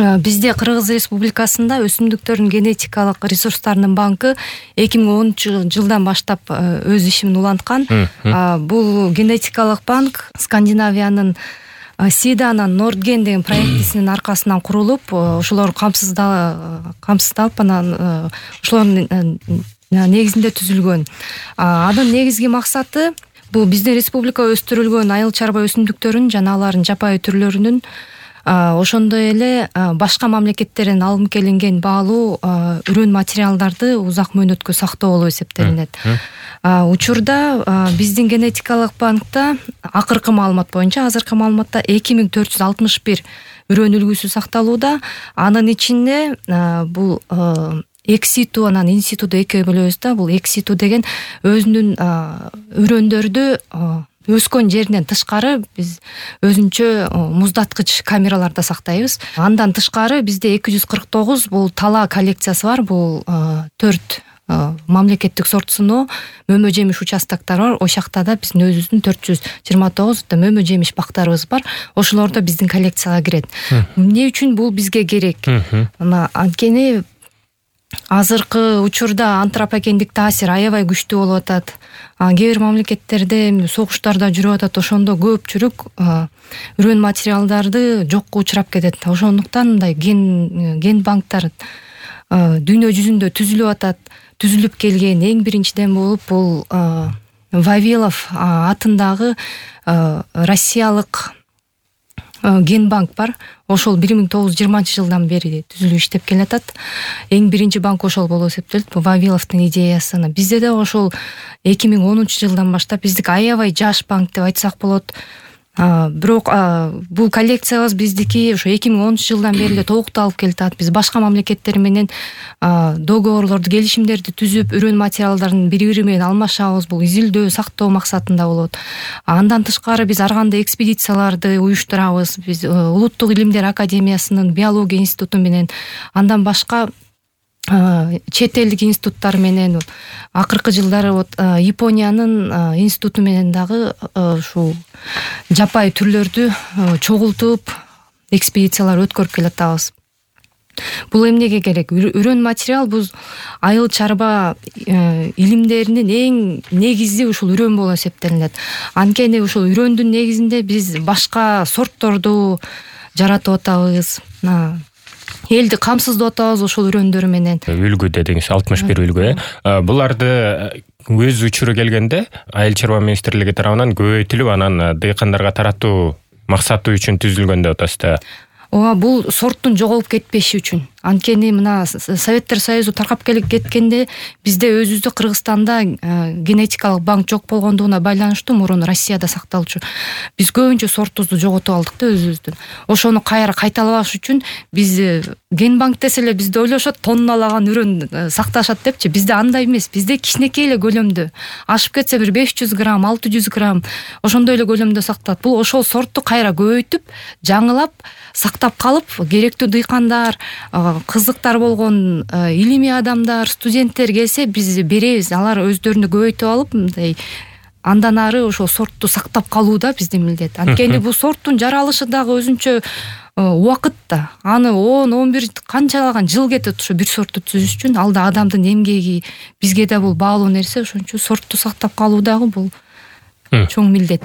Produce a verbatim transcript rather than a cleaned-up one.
Бизде Кыргыз Республикасында өсүмдүктөрдүн генетикалык ресурстарынын банкы эки миң онунчу жылдан баштап өз ишин уланткан. Бул генетикалык банк Скандинавиянын Сиданан Нордген деген проектисинин аркасынан курулуп, ошолор камсыздалып, анан ошолордун негизинде түзүлгөн. Анын негизги максаты бул биздин республикада өстүрүлгөн айыл чарба өсүмдүктөрүн жана алардын жапайы түрлөрүнүн ошондой эле башка мамлекеттерден алынып келинген баалуу үрөн материалдарды узак мөөнөткө сактоо болуп эсептелинет. Учурда биздин генетикалык банкта акыркы маалымат боюнча, азыркы маалыматта эки миң төрт жүз алтымыш бир үрөн үлгүсү сакталууда. Анын ичинде бул экситу, анан инситуду экиге бөлөбүз да. Бул экситу деген өзүнүн үрөндөрдү өскөн жеринен тышкары биз өзүнчө муздаткыч камераларда сактайбыз. Андан тышкары бизде эки жүз кырк тогуз бул тала коллекциясы бар. Бул төрт мамлекеттик сорт сыноо мөмө жемиш участоктор бар. Ошакта да биздин өзүбүздүн төрт жүз жыйырма тогуз мөмө жемиш бактарыбыз бар. Ошолор да биздин коллекцияга кирет. Эмне үчүн бул бизге керек? Анткени азыркы учурда антропогендик таасир аябай күчтүү болуп атат. Кээ бир мамлекеттерде согуштарда жүрүп атат. Ошондо көпчүлүк үрөн материалдарды жокко учурап кетет. Ошондуктан мындай ген ген банктар дүйнө жүзүндө түзүлүп атат. Түзүлүп келген эң биринчиден болуп бул Вавилов атындагы Россиялык ген банк бар. Ошол бир миң тогуз жүз жыйырманчы жылдан бери түзүлүп иштеп келатат. Эң биринчи банк ошол болуп эсептелет. Бул Вавиловдун идеясына. Бизде да ошол эки миң онунчу жылдан баштап биздик аябай жаш банк деп айтсак болот. Бирок бул коллекциябыз биздики ошо эки миң онунчу жылдан бери эле толукталып келатат. Биз башка мамлекеттер менен договорлорду, келишимдерди түзүп, үрөн материалдарын бири-бири менен алмашабыз. Бул изилдөө, сактоо максатында болот. Андан тышкары биз ар кандай экспедицияларды уюштурабыз. Биз Улуттук илимдер академиясынын биология институту менен, андан башка чет элдик институттар менен, акыркы жылдары вот Япониянын институту менен дагы ушул жапайы түрлөрдү чогултуп экспедициялар өткөрүп келатабыз. Бул эмнеге керек? Үрөн материал бул айыл чарба илимдеринин эң негизи ушул үрөн болуп эсептелинет. Анткени ушул үрөндүн негизинде биз башка сортторду жаратып атабыз. Элди камсыздап атабыз ошол үрөндөр менен. Үлгү дедиңиз, алтымыш бир үлгү. Буларды өз учуру келгенде айыл чарба министрлиги тарабынан көбөйтүлүп, анан дыйкандарга таратуу максаты үчүн түзүлгөн деп атасызда. Ооба, бул сорттун жоголуп кетпеши үчүн. Анткени мына Советтер Союзу таркап келип кеткенде бизде өзүбүздө Кыргызстанда генетикалык банк жок болгондугуна байланыштуу мурун Россияда сакталчу. Биз көбүнчө сортубузду жоготуп алдык да өзүбүздүн. Ошону кайра кайталабаш үчүн биз ген банк десе эле бизде ойлошот тонналаган үрөн сакташат депчи. Бизде андай эмес. Бизде кичинекей эле көлөмдө. Ашып кетсе бир беш жүз грамм, алты жүз грамм ошондой эле көлөмдө сакталат. Бул ошол сортту кайра көбөйтүп, жаңылап сактап калып, керектүү дыйкандар, кызыктар болгон илимий адамдар, студенттер келсе биз беребиз. Алар өздөрүнү көбөйтүп алып, мындай андан ары ошол сортту сактап калуу да биздин милдет. Анткени бул сорттун жаралышы дагы өзүнчө убакыт да. Аны он он бир канчалаган жыл кетет ошо бир сортту түзүш үчүн. Алда адамдын эмгеги, бизге да бул баалуу нерсе. Ошон үчүн сортту сактап калуу дагы бул чоң милдет.